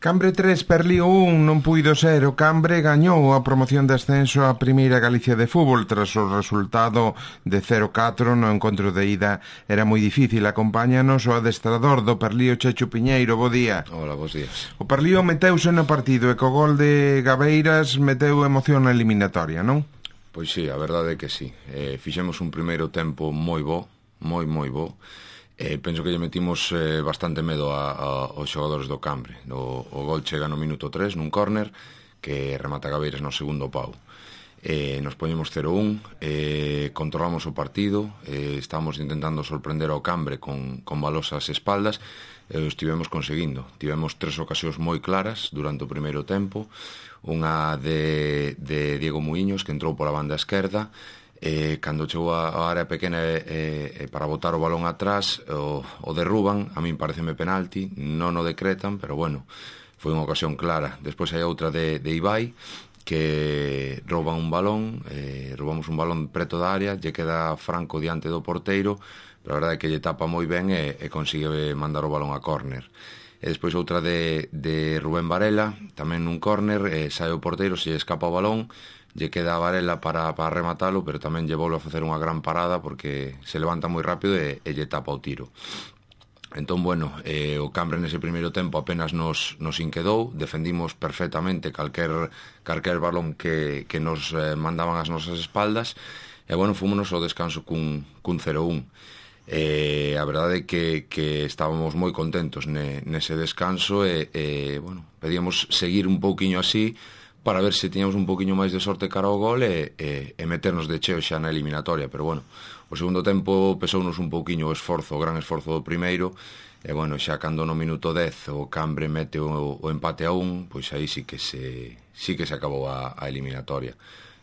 Cambre 3, Perlío 1, non puido ser. O Cambre gañou a promoción de ascenso á Primeira Galicia de Fútbol tras o resultado de 0-4 no encontro de ida. Era moi difícil. Acompáñanos o adestrador do Perlío, Checho Piñeiro. Bo día. Hola, bos días. O Perlío meteuse no partido e co gol de Gabeiras meteu emoción na eliminatoria, non? Pois sí, a verdade é que sí. Fixemos un primeiro tempo moi bo, moi bo. Penso que lle metimos bastante medo aos xogadores do Cambre. O gol chega no minuto 3 nun córner que remata Gabeiras no segundo pau. Nos poñemos 0-1, controlamos o partido, estamos intentando sorprender ao Cambre con balos ás espaldas e o estivemos conseguindo. Tivemos 3 ocasións moi claras durante o primeiro tempo, unha de Diego Muiños que entrou pola banda esquerda. Cando chegou a área pequena para botar o balón atrás o derruban, a min pareceme penalti, non o decretan, pero bueno, foi unha ocasión clara. Despois hai outra de Ibai que rouban un balón, roubamos un balón preto da área, lle queda Franco diante do porteiro, pero a verdade é que lle tapa moi ben e consigue mandar o balón a córner. E despois outra de Rubén Varela, tamén nun córner, sai o porteiro, se lle escapa o balón, lle queda a Varela para rematalo, pero tamén lle volve a facer unha gran parada porque se levanta moi rápido e lle tapa o tiro. Entón, bueno, o Cambre nese primeiro tempo apenas nos inquedou, defendimos perfectamente calquer balón que nos mandaban ás nosas espaldas, e, bueno, fúmonos ao descanso cun 0-1. A verdade é que estábamos moi contentos nese descanso e, bueno, pedíamos seguir un pouquiño así para ver se tiñamos un poquinho máis de sorte cara ao gol e meternos de cheo xa na eliminatoria, pero bueno, o segundo tempo pesounos un pouquiño o gran esforzo do primeiro, e bueno, xa cando no minuto 10 o Cambre mete o empate a 1, pois aí sí que se acabou a eliminatoria.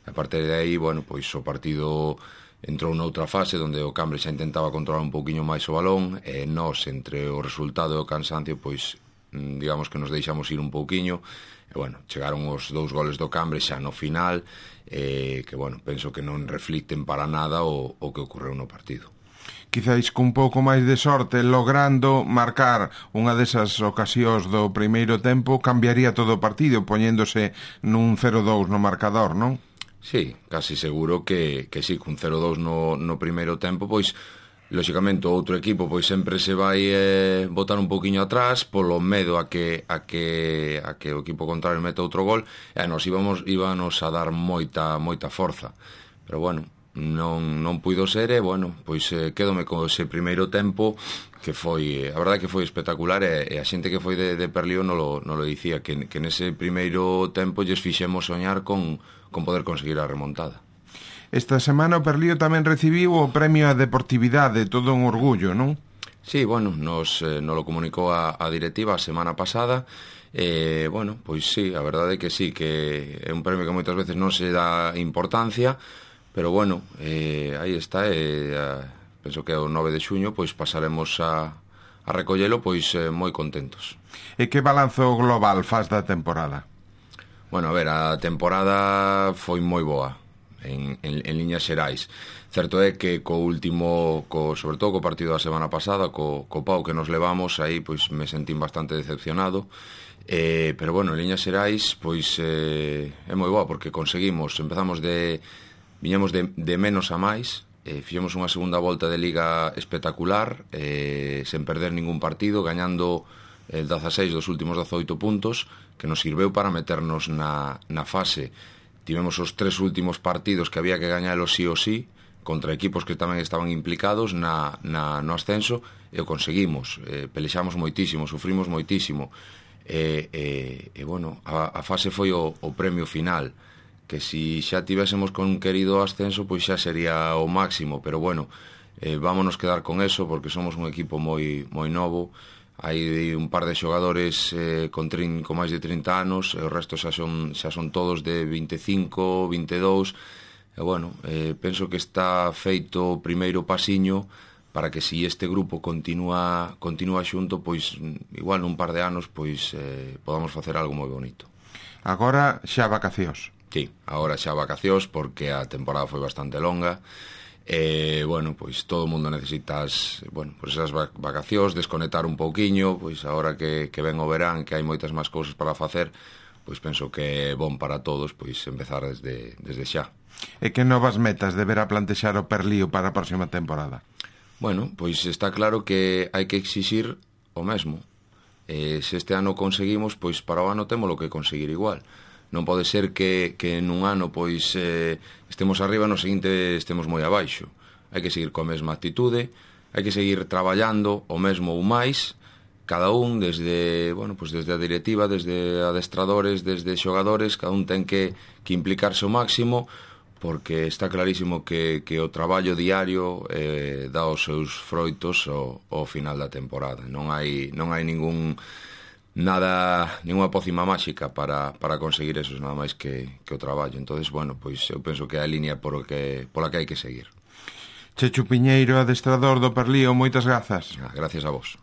A partir de aí, bueno, pois o partido entrou noutra fase onde o Cambre xa intentaba controlar un pouquiño máis o balón e nós, entre o resultado e o cansancio, pois digamos que nos deixamos ir un pouquiño. E, bueno, chegaron os 2 goles do Cambre xa no final, que, bueno, penso que non reflicten para nada o que ocorreu no partido. Quizáis cun pouco máis de sorte, logrando marcar unha desas ocasións do primeiro tempo, cambiaría todo o partido, poñéndose nun 0-2 no marcador, non? Sí, casi seguro que sí, cun 0-2 no primeiro tempo, pois lóxicamente o outro equipo pois sempre se vai botar un poquinho atrás polo medo a que o equipo contrario meta outro gol, e nos íbamos a dar moita forza, pero bueno, non puido ser, e bueno, pois quedome con ese primeiro tempo que foi, a verdade que foi espectacular, e a xente que foi de Perlío non lo dicía, que nese primeiro tempo lles fixemos soñar con poder conseguir a remontada. Esta semana o Perlío tamén recibiu o premio á deportividade, todo un orgullo, non? Sí, bueno, nos lo comunicou a directiva a semana pasada, bueno, pois sí, a verdade é que sí, que é un premio que moitas veces non se dá importancia, pero bueno, aí está, penso que o 9 de xuño pois pasaremos a recollelo pois moi contentos. E que balanzo global faz da temporada? Bueno, a ver, a temporada foi moi boa en liñas xerais. Certo é que sobre todo co partido da semana pasada, co pau que nos levamos, aí pois me sentín bastante decepcionado, pero bueno, en liñas xerais pois é moi boa porque viñamos de menos a máis, fixemos unha segunda volta de Liga espectacular, sen perder ningún partido, gañando 16 dos últimos 18 puntos, que nos sirveu para meternos na fase. Tivemos os 3 últimos partidos que había que gañalos sí ou sí, contra equipos que tamén estaban implicados no ascenso, e o conseguimos. Pelexamos moitísimo, sufrimos moitísimo, e bueno, a fase foi o premio final, que si xa tivésemos con querido ascenso, pois xa sería o máximo, pero bueno, vámonos quedar con eso, porque somos un equipo moi novo. Hai un par de xogadores con máis de 30 anos, e o resto xa son todos de 25, 22, e bueno, penso que está feito o primeiro pasiño para que si este grupo continúa xunto, pois igual nun par de anos pois podamos facer algo moi bonito. Agora xa vacacións. Sí, agora xa vacacións porque a temporada foi bastante longa, Bueno, pois todo o mundo necesitas, bueno, pois esas vacacións, desconectar un pouquiño, pois agora que ven o verán, que hai moitas máis cousas para facer, pois penso que é bon para todos pois empezar desde xa. E que novas metas deberá plantexar o Perlío para a próxima temporada? Bueno, pois está claro que hai que exixir o mesmo. Se este ano conseguimos, pois para o ano témolo que conseguir igual. Non pode ser que nun ano pois estemos arriba e no seguinte estemos moi abaixo. Hai que seguir coa mesma actitude, hai que seguir traballando o mesmo ou máis, cada un desde, bueno, pois desde a directiva, desde adestradores, desde xogadores, cada un ten que implicarse ao máximo, porque está clarísimo que o traballo diario dá os seus froitos ao final da temporada. Non hai ninguna pócima máxica para conseguir eso, nada máis que o traballo. Entonces, bueno, pois eu penso que é a línea pola que hai que seguir. Chechu Piñeiro, adestrador do Perlío, moitas grazas. Gracias a vos.